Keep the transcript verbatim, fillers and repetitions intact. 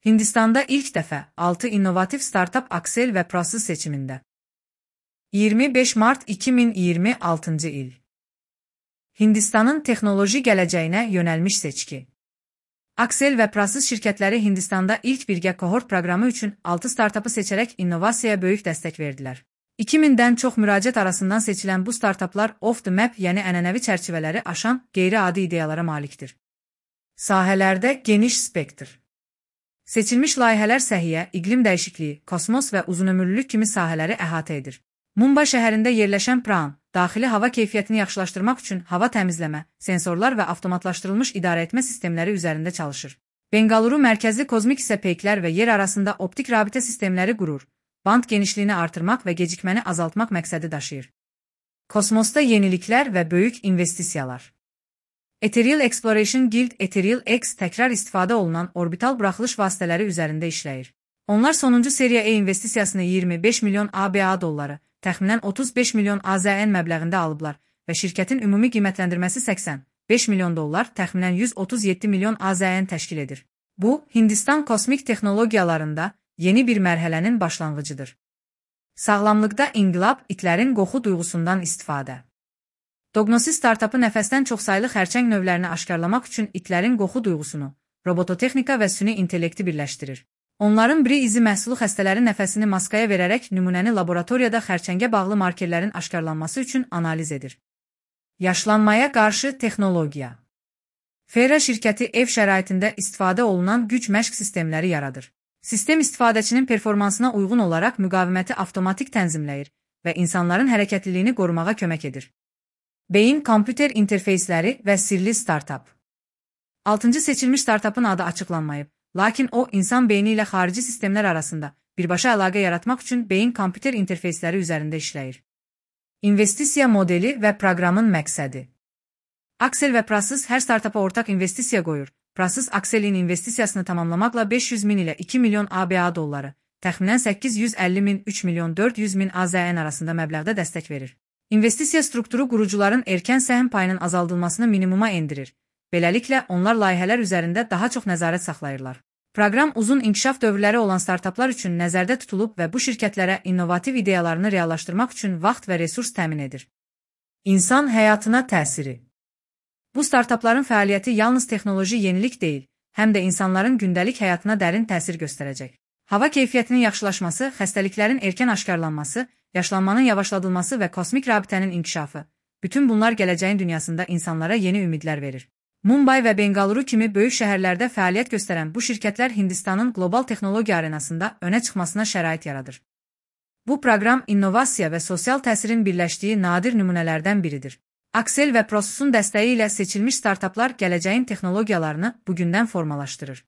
Hindistanda ilk dəfə altı innovativ startap Aksel və Prasız seçimində. iyirmi beş mart iki min iyirmi altıncı il. Hindistanın texnoloji gələcəyinə yönəlmiş seçki. Aksel və Prasız şirkətləri Hindistanda ilk birgə kohort proqramı üçün altı startapı seçərək innovasiyaya böyük dəstək verdilər. iki mindən çox müraciət arasından seçilən bu startaplar off the map, yəni ənənəvi çərçivələri aşan qeyri-adi ideyalara malikdir. Sahələrdə geniş spektr. Seçilmiş layihələr səhiyyə, iqlim dəyişikliyi, kosmos və uzunömürlülük kimi sahələri əhatə edir. Mumbai şəhərində yerləşən Pran, daxili hava keyfiyyətini yaxşılaşdırmaq üçün hava təmizləmə, sensorlar və avtomatlaşdırılmış idarəetmə sistemləri üzərində çalışır. Bengaluru mərkəzli kozmik isə peyklər və yer arasında optik rabitə sistemləri qurur, band genişliyini artırmaq və gecikməni azaltmaq məqsədi daşıyır. Kosmosda yeniliklər və böyük investisiyalar. Ethereal Exploration Guild Ethereal X təkrar istifadə olunan orbital buraxılış vasitələri üzərində işləyir. Onlar sonuncu seriya E investisiyasını iyirmi beş milyon A B A dolları, təxminən otuz beş milyon A Z N məbləğində alıblar və şirkətin ümumi qiymətləndirməsi səksən beş milyon dollar, təxminən yüz otuz yeddi milyon A Z N təşkil edir. Bu, Hindistan kosmik texnologiyalarında yeni bir mərhələnin başlanğıcıdır. Sağlamlıqda inqilab, itlərin qoxu duyğusundan istifadə. Dognosis startapı nəfəsdən çoxsaylı xərçəng növlərini aşkarlamaq üçün itlərin qoxu duyğusunu, robototexnika və süni intellekti birləşdirir. Onların biri izi məhsulu xəstələrin nəfəsini maskaya verərək nümunəni laboratoriyada xərçəngə bağlı markerlərin aşkarlanması üçün analiz edir. Yaşlanmaya qarşı texnologiya. Fera şirkəti ev şəraitində istifadə olunan güc məşq sistemləri yaradır. Sistem istifadəçinin performansına uyğun olaraq müqaviməti avtomatik tənzimləyir və insanların hərəkətliliyini qorumağa kömək edir. Beyin kompüter interfeysləri və sirli startap. altıncı seçilmiş startapın adı açıqlanmayıb, lakin o, insan beyni ilə xarici sistemlər arasında birbaşa əlaqə yaratmaq üçün beyin kompüter interfeysləri üzərində işləyir. İnvestisiya modeli və proqramın məqsədi. Aksel və Prasız hər startapa ortaq investisiya qoyur. Prasız Akselin investisiyasını tamamlamaqla beş yüz min ilə iki milyon A B A dolları, təxminən səkkiz yüz əlli min üç milyon dörd yüz min A Z N arasında məbləğdə dəstək verir. İnvestisiya strukturu qurucuların erkən səhm payının azaldılmasını minimuma endirir. Beləliklə, onlar layihələr üzərində daha çox nəzarət saxlayırlar. Proqram uzun inkişaf dövrləri olan startaplar üçün nəzərdə tutulub və bu şirkətlərə innovativ ideyalarını reallaşdırmaq üçün vaxt və resurs təmin edir. İnsan həyatına təsiri. Bu startapların fəaliyyəti yalnız texnoloji yenilik deyil, həm də insanların gündəlik həyatına dərin təsir göstərəcək. Hava keyfiyyətinin yaxşılaşması, xəstəliklərin erkən aşkarlanması, yaşlanmanın yavaşladılması və kosmik rabitənin inkişafı, bütün bunlar gələcəyin dünyasında insanlara yeni ümidlər verir. Mumbai və Bengaluru kimi böyük şəhərlərdə fəaliyyət göstərən bu şirkətlər Hindistanın qlobal texnologiya arenasında önə çıxmasına şərait yaradır. Bu proqram innovasiya və sosial təsirin birləşdiyi nadir nümunələrdən biridir. Aksel və Prasızın dəstəyi ilə seçilmiş startaplar gələcəyin texnologiyalarını bugündən formalaşdırır.